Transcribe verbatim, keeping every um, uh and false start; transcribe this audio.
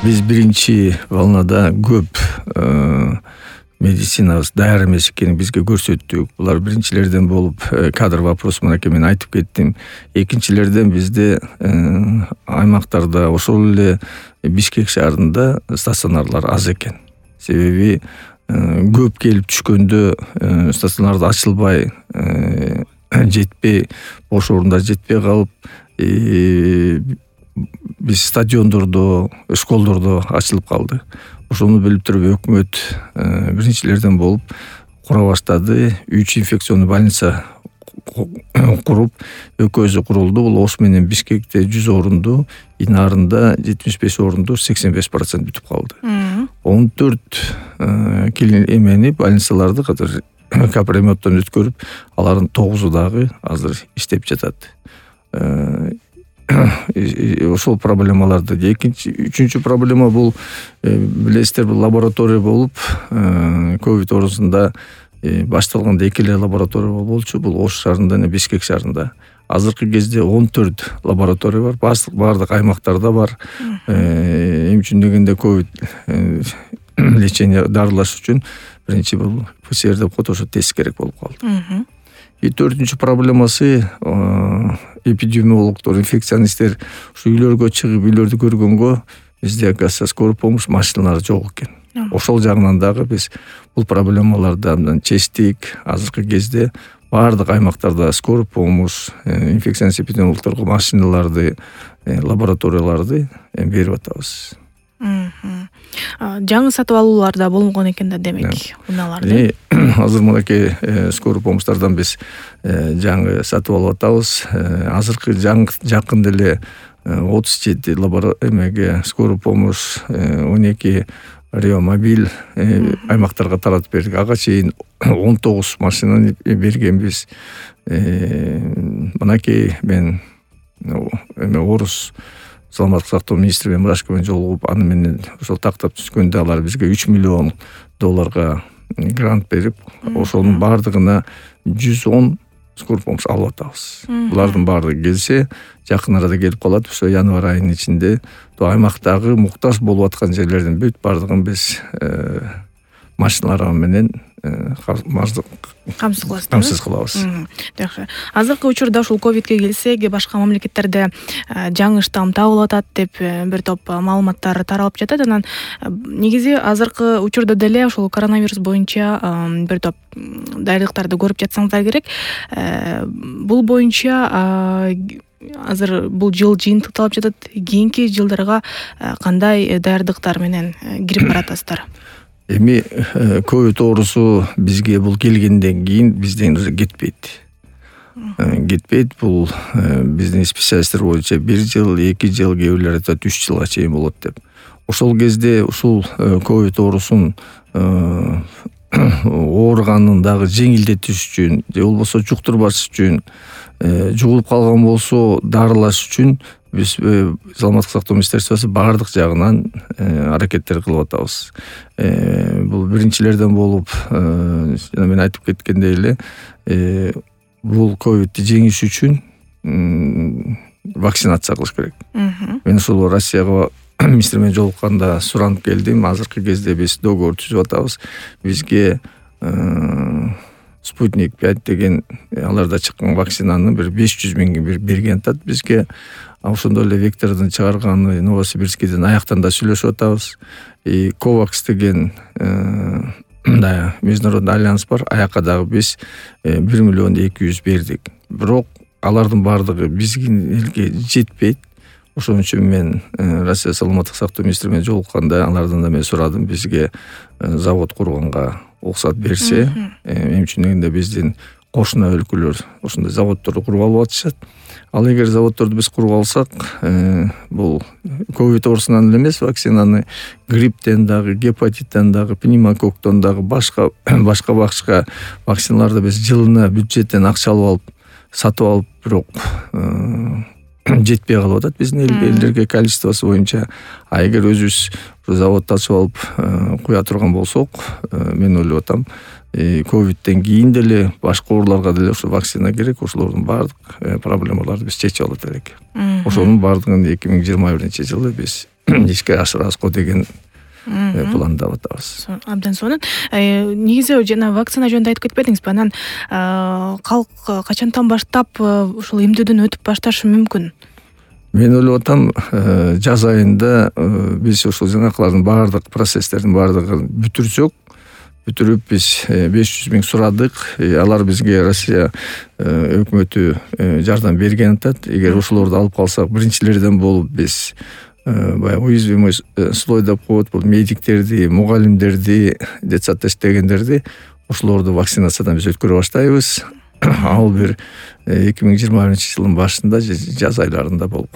Биз биринчи волнада көп медицинабыз даяр эмес экенин бизге көрсөттүк. Булар биринчилерден болуп кадр вопросу мынакей мен айтып кеттим. Экинчилерден бизде аймактарда ошол эле Бишкек шаарында стационарлар аз экен. Себеби көп келип түшкөндө стационарды ачылбай, жетпей, бош орундар жетпей калып, биз стадиондордо, школдордо ачылып калды. Ошону билип туруп өкмөт биринчилерден болуп кура баштады. Үч инфекционный больница куруп, экөөсү курулду. Бул Ош менен Бишкекте жүз орунду, Инарында жетимиш беш орунду сексен беш процент бүтүп калды. он төрт эмени больницаларды катар капремонттон өткөрүп, алардын тогузу дагы азыр иштеп жатат. Ошол проблемаларды. Экинчи, үчүнчү проблема бул, билесиздер, бул лаборатория болуп, ковид оорусунда башталганда эки эле лаборатория болчу. Бул Ош шаарында жана Бишкек шаарында. Азыркы кезде он төрт лаборатория бар. Бардык аймактарда бар. Эми үчүн дегенде ковид лечение дарылаш үчүн биринчи бул ПЦР деп коет, ошо тест керек болуп калды. И төртүнчү проблемасы эпидемиологдор, инфекционисттер ушу үйлөргө чыгып, үйлөрдү көргөнгө бизде, оказывается, скорый помощь машиналары жок экен. Ошол жагынан дагы биз бул проблемаларды абдан чечтик. Азыркы кезде бардык аймактарда скорый помощь, инфекционист эпидемиологдорго машиналарды, лабораторияларды берип атабыз. Жаңы сатып алуулар да болгон экен да, демек, унааларды. Азыр мынакей скорый помощьтардан биз жаңы сатып алып атабыз. Азыркы жакын деле отуз жети лаборатория скорый помощь, он эки реомобиль аймактарга таратып бердик. Ага чейин он тогуз машинаны бергенбиз. Мынакей мен эме Орус саламаттык сактоо министри менен Мурашко менен жолугуп, аны менен ошол тактап түшкөндө алар бизге үч миллион долларга грант берип, ошонун бардыгына жүз он скорый помощь алып атабыз. Булардын баардыгы келсе, жакын арада келип калат. Ошо январь айынын ичинде аймактагы муктаж болуп аткан жерлердин бүт баардыгын биз машиналар менен камсыз кылабыз. Камсыз кылабыз. Жакшы. Азыркы учурда ушул ковидке келсек, башка мамлекеттерде жаңы штамм табылып атат деп бир топ маалыматтар таралып жатат. Анан негизи азыркы учурда деле ушул коронавирус боюнча бир топ даярдыктарды көрүп жатсаңыздар керек. Бул боюнча азыр бул жыл жыйынтыкталып жатат. Кийинки жылдарга кандай даярдыктар менен кирип баратасыздар? Эми ковид оорусу бизге бул келгенден кийин бизден кетпейт. Кетпейт. Бул биздин специалисттер боюнча бир жыл, эки жыл, кээ бирлер айтат үч жылга чейин болот деп. Ошол кезде ушул ковид оорусун ооруганын дагы жеңилдетиш үчүн, же болбосо жуктурбаш үчүн, жугулуп калган болсо дарылаш үчүн биз саламаттык сактоо министерствосу баардык жагынан аракеттер кылып атабыз. Бул биринчилерден болуп, жана мен айтып кеткендей эле, бул ковидти жеңиш үчүн вакцинация кылыш керек. Мен ушул Россияга министр менен жолукканда суранып келдим. Азыркы кезде биз договор түзүп атабыз. Бизге Спутник пять деген аларда чыккан вакцинаны бир беш жүз миңге бир берген атат бизге. Ошондой эле Вектордун чыгарганы Новосибирскийден аяктан да сүйлөшүп атабыз. И Ковакс деген да международный альянс бар. Аякка дагы биз бир миллион эки жүз бердик. Бирок алардын баардыгы бизге элге жетпейт. Ошон үчүн мен Россия саламаттык сактоо министри менен жолукканда алардан да мен сурадым, бизге завод курганга уруксат берсе. Мен үчүн дегенде биздин кошуна өлкөлөр ошондой заводдорду куруп алып атышат. Ал эгер заводдорду биз куруп алсак, бул ковид оорусунан эле эмес, вакцинаны грипптен дагы, гепатиттен дагы, пневмококктон дагы башка башка башка вакциналарды биз жылына бюджеттен акча алып алып сатып алып, бирок жетпей калып атат биздин элдерге количествосу боюнча. А эгер өзүбүз заводду ачып алып куя турган болсок, мен ойлоп атам, ковидтен кийин деле башка ооруларга деле ошо вакцина керек, ошолордун баардык проблемаларды биз чечип алат элек. Ошонун баардыгын эки миң жыйырма биринчи жылы биз ишке ашырабызго деген пландап атабыз. Абдан сонун. Негизи жана вакцина жөнүндө айтып кетпедиңизби? Анан калк качантан баштап ушул эмдөөдөн өтүп башташы мүмкүн? Мен ойлоп атам, жаз айында биз ушул жанакылардын баардык процесстердин баардыгын бүтүрсөк, бүтүрүп биз беш жүз миң сурадык. Алар бизге Россия өкмөтү жардам берген атат. Эгер ошолорду алып калсак, биринчилерден болуп биз баягы уязвимый слой деп коет, бул медиктерди, мугалимдерди, детсадда иштегендерди, ошолорду вакцинациядан биз өткөрө баштайбыз. Ал бир эки миң жыйырма биринчи жылдын башында, жаз айларында болуп.